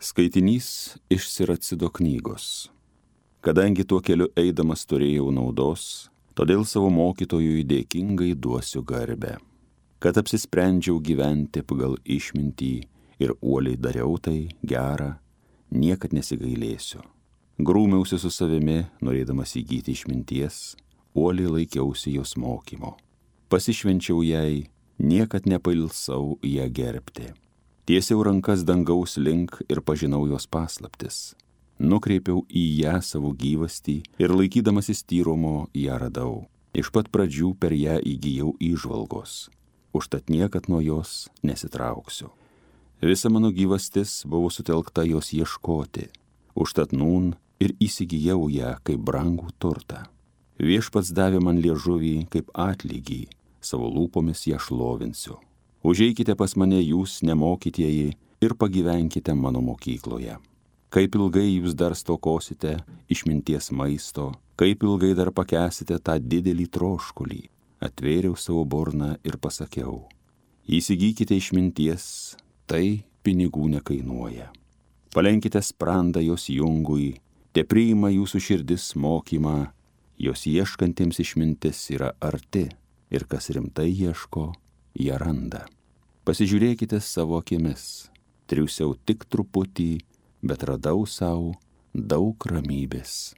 Skaitinys iš Siracido knygos. Kadangi tuo keliu eidamas turėjau naudos, todėl savo mokytojui dėkingai duosiu garbę. Kad apsisprendžiau gyventi pagal išmintį ir uoliai dariau tai gerą, niekad nesigailėsiu. Grūmiausi su savimi, norėdamas įgyti išminties, uoliai laikiausi jos mokymo. Pasišvenčiau jai, niekad nepailsau ją gerbti. Tiesiau rankas dangaus link ir pažinau jos paslaptis. Nukreipiau į ją savo gyvastį ir laikydamasis tyrumo ją radau. Iš pat pradžių per ją įgijau įžvalgos. Užtat niekad nuo jos nesitrauksiu. Visa mano gyvastis buvo sutelkta jos ieškoti. Užtat nūn ir įsigijau ją kaip brangų turtą. Viešpats davė man liežuvį kaip atlygį, savo lūpomis ją šlovinsiu. Užeikite pas mane jūs nemokytieji ir pagyvenkite mano mokykloje. Kaip ilgai jūs dar stokosite išminties maisto, kaip ilgai dar pakęsite tą didelį troškulį. Atvėriau savo burną ir pasakiau, įsigykite išminties, tai pinigų nekainuoja. Palenkite sprandą jos jungui, te priima jūsų širdis mokymą, jos ieškantiems išmintis yra arti ir kas rimtai ieško, ją randa. Pasižiūrėkite savo akimis, triusiau tik truputį, bet radau savo daug ramybės.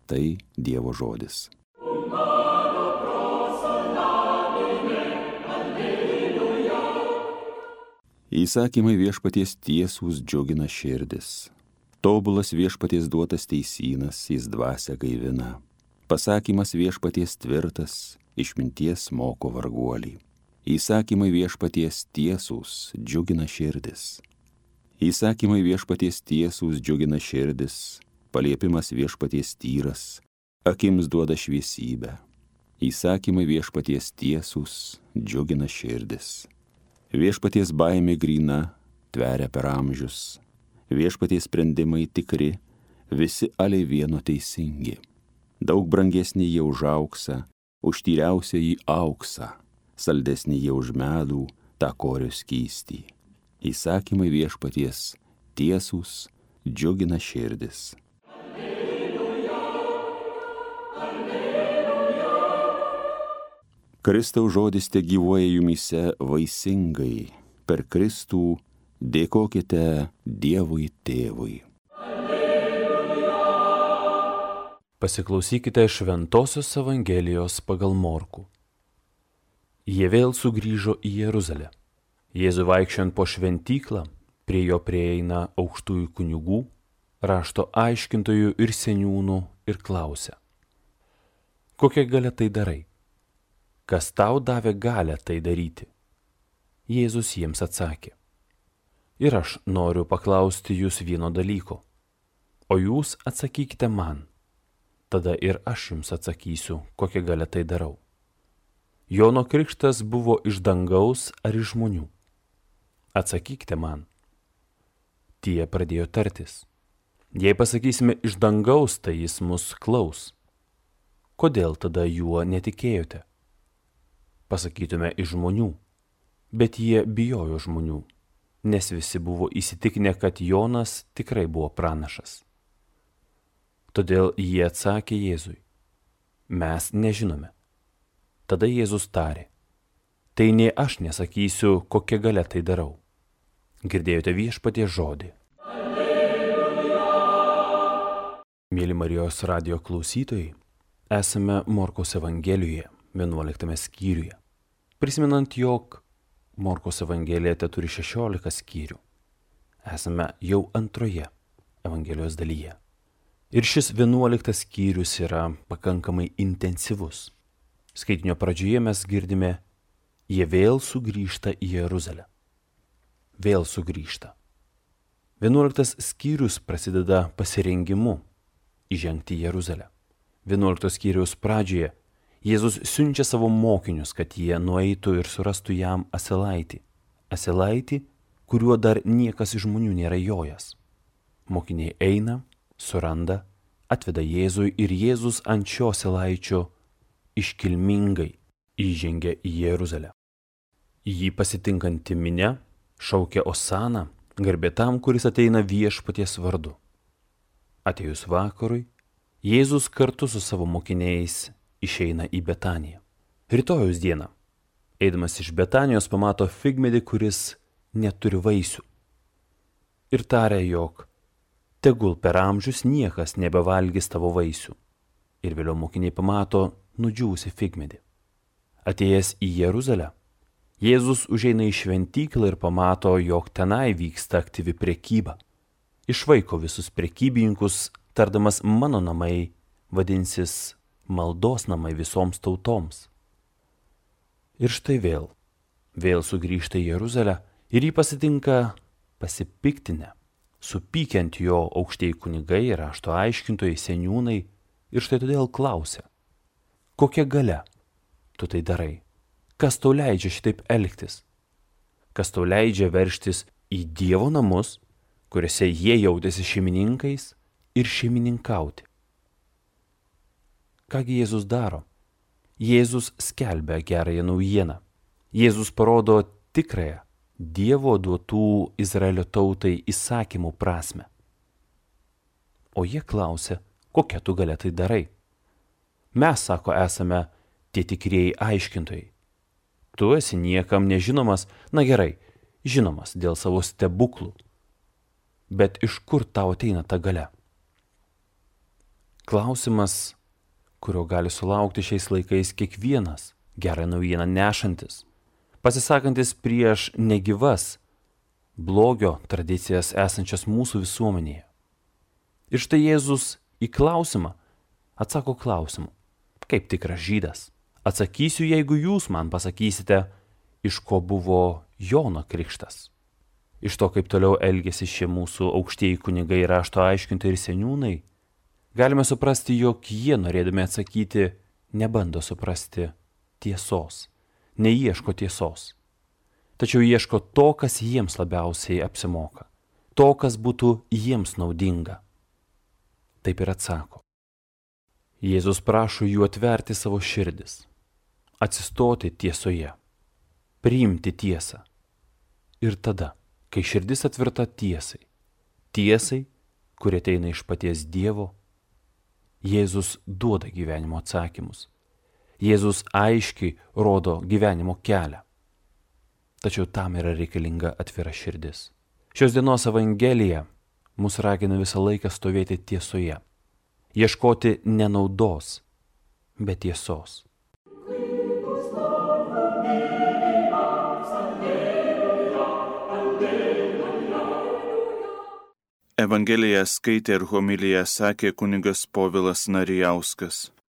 Tai Dievo žodis. Įsakymai viešpaties tiesūs džiugina širdis. Tobulas viešpaties duotas teisynas, jis dvasią gaivina. Pasakymas viešpaties tvirtas, išminties moko varguolį. Įsakymai viešpaties tiesūs džiugina širdis. Įsakymai viešpaties tiesūs džiugina širdis, paliepimas viešpaties tyras, akims duoda šviesybę. Įsakymai viešpaties tiesūs džiugina širdis. Viešpaties baimė gryna, tveria per amžius. Viešpaties sprendimai tikri, visi aliai vieno teisingi. Daug brangesnį jie už auksą, už tyriausią į auksą, saldesnį jie už medų, tą korio skystį. Įsakymai viešpaties tiesūs džiugina širdis. Alleluja, alleluja. Kristaus žodis te gyvuoja jumyse vaisingai. Per Kristų dėkokite Dievui Tėvui. Pasiklausykite Šventosios Evangelijos pagal Morkų. Jie vėl sugrįžo į Jeruzalę. Jėzui vaikščiant po šventyklą, prie jo prieina aukštųjų kunigų, rašto aiškintojų ir seniūnų ir klausia: kokia galia tai darai? Kas tau davė galią tai daryti? Jėzus jiems atsakė: ir aš noriu paklausti jūs vieno dalyko, o jūs atsakykite man. Tada ir aš jums atsakysiu, kokią galia tai darau. Jono krikštas buvo iš dangaus ar iš žmonių? Atsakykite man. Tie pradėjo tartis. Jei pasakysime iš dangaus, tai jis mus klaus. Kodėl tada juo netikėjote? Pasakytume iš žmonių, bet jie bijojo žmonių, nes visi buvo įsitikinę, kad Jonas tikrai buvo pranašas. Todėl jie atsakė Jėzui: mes nežinome. Tada Jėzus tarė: tai nei aš nesakysiu, kokia galia tai darau. Girdėjote viešpaties žodį. Alleluja. Mėly Marijos radijo klausytojai, esame Morkaus Evangelijoje, 11 skyriuje. Prisimenant, jog Morkaus Evangelija turi 16 skyrių. Esame jau antroje Evangelijos dalyje. Ir šis 11 skyrius yra pakankamai intensyvus. Skaitinio pradžioje mes girdime: jie vėl sugrįžta į Jeruzalę. Vėl sugrįžta. 11 skyrius prasideda pasirengimu įžengti į Jeruzalę. 11 skyriaus pradžioje Jėzus siunčia savo mokinius, kad jie nueitų ir surastų jam asilaitį. Asilaitį, kuriuo dar niekas iš žmonių nėra jojęs. Mokiniai eina, suranda, atveda Jėzui ir Jėzus ant šio asilaičio iškilmingai įžengia į Jeruzalę. Jį pasitinkanti minia šaukia Osana, Garbė tam, kuris ateina viešpaties vardu. Atėjus vakarui, Jėzus kartu su savo mokiniais išeina į Betaniją. Rytojaus dieną, eidamas iš Betanijos, pamato figmedį, kuris neturi vaisių. Ir taria, jog tegul per amžius niekas nebevalgys tavo vaisių. Ir vėliau mokiniai pamato nudžiūvusi figmedį. Atėjęs į Jeruzalę, Jėzus užeina į šventyklą ir pamato, jog tenai vyksta aktyvi prekyba. Išvaiko visus prekybininkus, tardamas mano namai vadinsis maldos namai visoms tautoms. Ir štai vėl sugrįžta į Jeruzalę ir jį pasitinka pasipiktinę, supykiant jo aukštieji kunigai ir rašto aiškintojai, seniūnai, ir štai todėl klausia, kokia galia tu tai darai? Kas tau leidžia šitaip elgtis? Kas tau leidžia veržtis į Dievo namus, kuriuose jie jautėsi šeimininkais, ir šeimininkauti? Kągi Jėzus daro? Jėzus skelbia gerąją naujieną. Jėzus parodo tikrąją Dievo duotų Izraelio tautai įsakymų prasmę. O jie klausia, kokia tu galia tai darai? Mes, sako, esame tie tikrieji aiškintojai. Tu esi niekam nežinomas, na gerai, žinomas dėl savo stebuklų. Bet iš kur tau ateina ta galia? Klausimas, kurio gali sulaukti šiais laikais kiekvienas gerą naujieną nešantis, pasisakantis prieš negyvas blogio tradicijas esančias mūsų visuomenėje. Ir štai Jėzus į klausimą atsako klausimu, kaip tikras žydas. Atsakysiu, jeigu jūs man pasakysite, iš ko buvo Jono krikštas. Iš to, kaip toliau elgėsi šie mūsų aukštieji kunigai, rašto aiškintojai ir seniūnai, galime suprasti, jog jie, norėdami atsakyti, nebando suprasti tiesos, neieško tiesos. Tačiau ieško to, kas jiems labiausiai apsimoka, to, kas būtų jiems naudinga. Taip ir atsako. Jėzus prašo jų atverti savo širdis, atsistoti tiesoje, priimti tiesą. Ir tada, kai širdis atverta tiesai, kuri ateina iš paties Dievo, Jėzus duoda gyvenimo atsakymus. Jėzus aiškiai rodo gyvenimo kelią. Tačiau tam yra reikalinga atvira širdis. Šios dienos Evangelija mus ragina visą laiką stovėti tiesoje, ieškoti ne naudos, bet tiesos. Evangeliją skaitė ir homiliją sakė kunigas Povilas Narijauskas.